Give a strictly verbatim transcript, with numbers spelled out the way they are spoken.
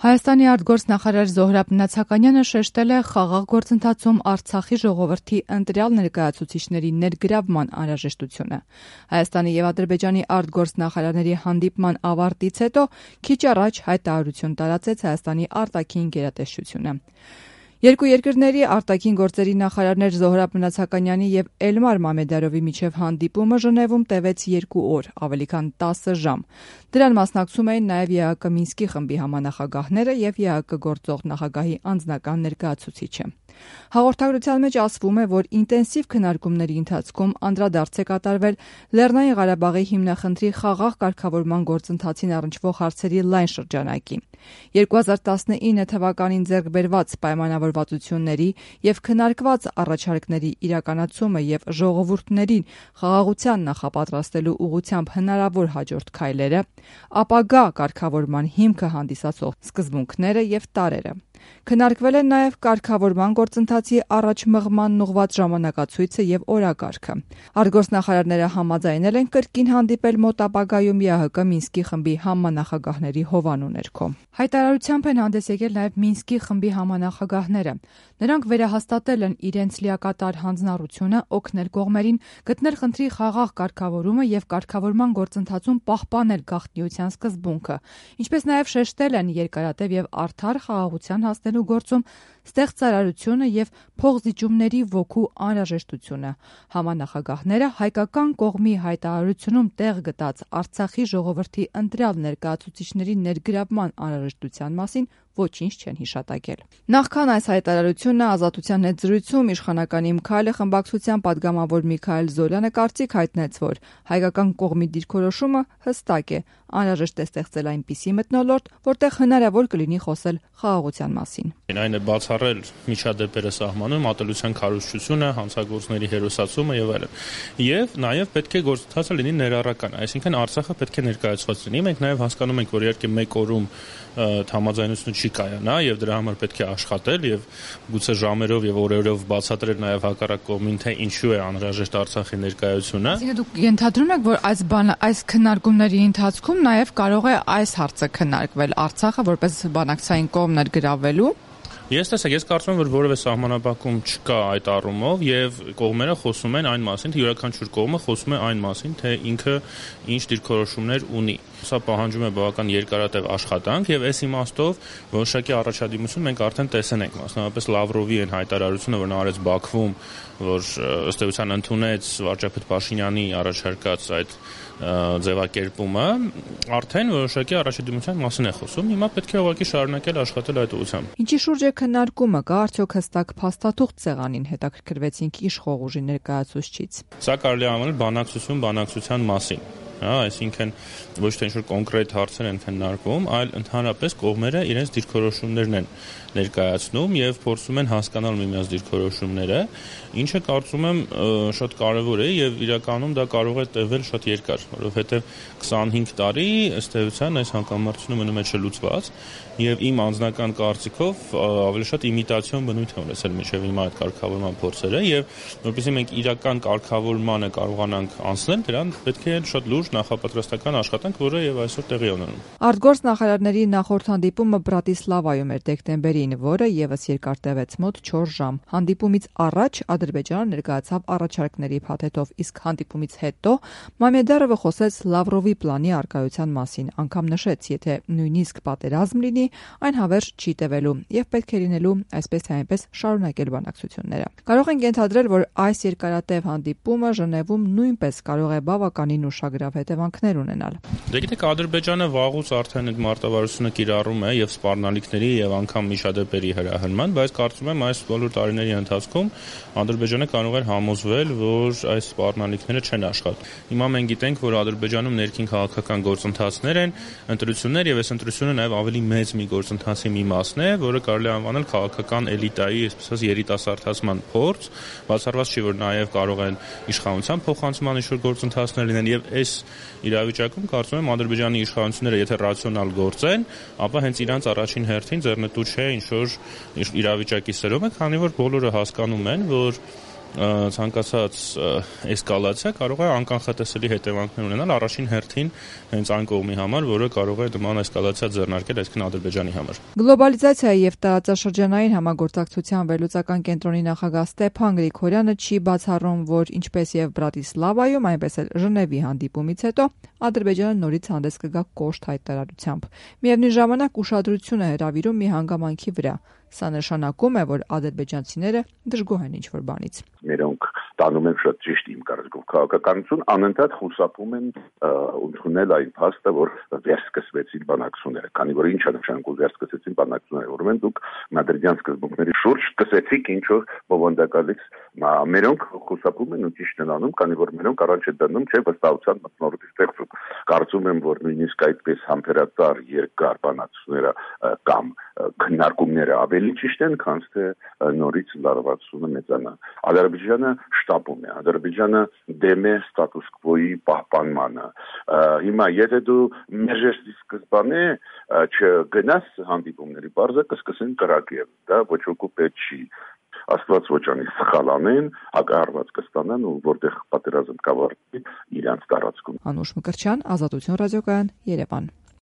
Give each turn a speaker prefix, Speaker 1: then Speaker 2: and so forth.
Speaker 1: Հայաստանի արտգործնախարար Զոհրաբ Նացականյանը շեշտել է խաղաղ գործընթացում Արցախի ժողովրդի ընտրյալ ներկայացուցիչների ներգրավման անհրաժեշտությունը։ Հայաստանի եւ Ադրբեջանի արտգործնախարարների հանդիպման ավարտից հետո քիչ առաջ հայտարարություն տարածեց Հայաստանի արտաքին գերատեսչությունը։ Երկու երկրների արտաքին գործերի նախարարներ Զոհրաբ Նացականյանի եւ Էլմար Մամեդարովի միջև հանդիպումը Ժնևում տևեց երկու օր, ավելի քան տասը ժամ։ Դրան մասնակցում էին նաեւ ԵԱՀԿ Մինսկի խմբի համանախագահները եւ ԵԱՀԿ գործող նախագահի անձնական ներկայացուցիչը։ Հաղորդագրության մեջ ասվում է, որ ինտենսիվ քննարկումների ընթացքում անդրադարձ է կատարվել Լեռնային Ղարաբաղի հիմնախնդրի խաղաղ կարգավորման գործընթացին առնչվող հարցերի լայն շրջանակի։ երկու հազար տասնինը թվականին ձեռք բերված պայմանավորվածությունների եւ քննարկված առաջարկների իրականացումը եւ ժողովուրդներին խաղաղության նախապատրաստելու ուղղությամբ հնարավոր հաջորդ քայլերը, ապագա կարգավորման հիմքը հանդիսացող սկզբունքները եւ տարրերը։ Քննարկվել են նաև կարգավորման գործընթացի առաջ մղման ուղղված ժամանակացույցը եւ օրակարգը։ Արտգործնախարարները համաձայնել են կրկին հանդիպել մոտ ապագայում ԵԱՀԿ Մինսկի խմբի համանախագահների հովանու ներքո։ Հայտարարությամբ են հանդես եկել նաև Մինսկի խմբի համանախագահները։ Նրանք վերահաստատել են իրենց լիակատար հանձնառությունը օգնել կողմերին գտնել խնդրի խաղաղ կարգավորումը եւ կարգավորման գործընթացում պահպանել գաղտնիության սկզբունքը, ինչպես նաև շեշտել են երկարատև եւ արդար խաղաղության հասնելու գործում ստեղծարարությունը եւ փոխզիջումների ոգու անհրաժեշտությունը։ Համանախագահները հայկական կողմի հայտարարությունում տեղ գտած Արցախի ժողովրդի ընտրյալ ներկայացուցիչների ներգրավման անհրաժեշտության մասին ոչինչ չեն հիշատակել։ Նախքան այս հայտարարությունը Ազատության հետ զրույցում իշխանական Իմքայլը խմբակցության падգամավոր Միքայել Զորյանը կարծիք հայտնեց, որ հայկական կողմի դիրքորոշումը հստակ է, անհրաժեշտ է ստեղծել այնպիսի մթնոլորտ, որտեղ հնարավոր կլինի խոսել խաղաղության մասին։
Speaker 2: Այն է բացառել միջադեպերը սահմանում, ատելության քարոզչությունը, հանցագործների հերոսացումը եւ այլն։ Եվ նաեւ պետք է գործընթացը լինի ներառական, այսինքն Արցախը պետք է ներկայացված լինի։ Մենք նաեւ հասկանում ենք, որ իհարկե մեկ օրում համաձայնություն չի կայանա եւ դրա համար պետք է աշխատել եւ գուցե ժամերով եւ օրերով բացատրել նաեւ հակառակ կողմին, թե ինչու է անհրաժեշտ Արցախի ներկայությունը։
Speaker 1: Այսինքն դուք ենթադրում եք, որ այս բանը այս քննարկումների ընթացքում նաեւ կարող է այս հարցը քննարկվել Արցախը որպես բանակցային կողմ ներգրավելու։
Speaker 2: Ես տեսեք, ես կարծում եմ, որ որևէ սահմանափակում չկա այդ առումով եւ կողմերը խոսում են այն մասին, թե յուրաքանչյուր կողմը խոսում է այն մասին, թե ինքը ինչ դիրքորոշումներ ունի։ Սա պահանջում է բավական երկարատև աշխատանք եւ այս իմաստով որոշակի առաջադիմություն մենք արդեն տեսել ենք, մասնավորապես Լավրովի այն հայտարարությունը, որ նա արեց Բաքվում, որ ըստ էության ընդունեց վարչապետ Փաշինյանի առաջարկած այդ ձևակերպումը, արդեն որոշակի առաջադիմության մասին է խոսում։ Հիմա պետք է ուղղակի շարունակել աշխատել այդ ուղղությամբ։
Speaker 1: Ինչի շուրջ է քննարկումը, կա արդյոք հստակ փաստաթուղթ սեղանին, հետաքրքրվեցինք իշխող ուժի ներկայացուցչից։
Speaker 2: Սա կարելի է անվանել բանակցություն բանակցության մասին։ Հա, այսինքն ոչ թե ինչ-որ կոնկրետ հարցեր են քննարկվում, այլ ընդհանրապես կողմերը իրենց դիրքորոշումներն են ներկայացնում եւ փորձում են հասկանալ միմյանց դիրքորոշումները, ինչը կարծում եմ շատ կարեւոր է եւ իրականում դա կարող է տևել շատ երկար, որովհետեւ քսանհինգ տարի ըստ էության այս հակամարտությունը մնում է չլուծված եւ իմ անձնական կարծիքով ավելի շատ իմիտացիոն բնույթ է ունեցել մինչեւ հիմա այդ կարգավորման փորձերը եւ որովհետեւ մենք իրական կարգավորմանը կարողանանք անցնել, դրան պետք է շատ լուրջ նախապատրաստական աշխատանք, որը եւ այսօր տեղի է ունենում։
Speaker 1: Արտգործնախարարների նախորդ հանդիպումը Բրատիսլավայում էր դեկտեմբերին, որը եւս երկար տևեց մոտ չորս ժամ։ Հանդիպումից առաջ Ադրբեջանը ներկայացավ առաջարկների փաթեթով, իսկ հանդիպումից հետո Մամեդարովը խոսեց Լավրովի պլանի արկայության մասին, անգամ նշեց, եթե նույնիսկ պատերազմ լինի, այն հավերժ չի տևելու եւ պետք է լինելու այսպես թե այնպես շարունակել բանակցությունները։ Կարող ենք ենթադրել, որ այս երկարատև հանդիպումը Ժնևում նույնպես կարող է բավականին ուշագրավ հետևանքներ ունենալ։
Speaker 2: Դե գիտեք, Ադրբեջանը վաղուց արդեն այդ մարտավարությունը կիրառում է եւ սպառնալիքների եւ անգամ միջադեպերի հրահրման, բայց կարծում եմ այս բոլոր տարիների ընթացքում Ադրբեջանը կարող էր համոզվել, որ այս սպառնալիքները չեն աշխատում։ Հիմա մենք գիտենք, որ Ադրբեջանում ներքին քաղաքական գործընթացներ են, ընտրություններ եւ այս ընտրությունը նաեւ ավելի մեծ մի գործընթացի մի մասն է, որը կարելի է անվանել քաղաքական էլիտայի, այսպես երիտասարդացման փորձ, բացառված չի, որ նաեւ կարող են իշխանության փոխանցման ինչ-որ գործընթացներ լինեն եւ այս իրավիճակում կարծում եմ Ադրբեջանի իշխանությունները եթե ռացիոնալ գործեն, ապա հենց իրանց առաջին հերթին ձեռնտու չէ ինչ-որ իրավիճակի սրումը, քանի որ բոլորը հասկանում են, որ ցանկացած էսկալացիա կարող է անկանխատեսելի հետևանքներ ունենալ առաջին հերթին հենց այն կողմի համար, որը կարող է նման էսկալացիա ձեռնարկել, այսինքն Ադրբեջանի համար։
Speaker 1: Գլոբալիզացիայի եւ տարածաշրջանային համագործակցության վերլուծական կենտրոնի նախագահ Ստեփան Գրիգորյանը չի բացառում, որ ինչպես եւ Բրատիսլավայում, այնպես էլ Ժնևի հանդիպումից հետո Ադրբեջանը նորից հանդես կգա կոշտ հայտարարությամբ։ Միևնույն ժամանակ ուշադրություն է հրավիրում մի հանգամանքի վրա։ Սա նշանակում է, որ ադրբեջանցիները դժգոհ են ինչ-որ բանից։
Speaker 3: Մերոնք տանում են շատ ճիշտ իմ կարծիքով քաղաքականություն, անընդհատ խուսափում են ընդունել այն փաստը, որ վերսկսվեցին բանակցությունները, քանի որ ինչ է նշանակում վերսկսեցին բանակցությունները, ուրեմն դուք մադրիդյան սկզբունքների շուրջ սկսեցիք ինչ-որ բովանդակալից, մերոնք խուսափում են ու ճիշտ են անում, քանի որ մերոնք առաջ են դնում, չէ, վստահության մթնոլորտի ստեղծում։ Կարծում եմ, որ նույնիսկ այդպես համբերատար երկար բանակցությունները կամ քննարկումները ավելի ճիշտ են, քան թե նորից լարվածությունը մեծանա։ Ադրբեջանը շտապում է, Ադրբեջանը դեմ է ստատուս քվոյի պահպանմանը։ Հիմա եթե դու մերժեցի սկզբանե չգնաս հանդիպումների, բարձր կսկսեն կրակել, դա ոչ ոքի պետք չի։ Աստված ոչ անի սխալ անեն, հակահարված կստանան ու որտեղ պատերազմ կավարտվի իրանց տարածքում։
Speaker 1: Անուշ Մկրտչյան, Ազատություն ռադիոկայան, Երևան։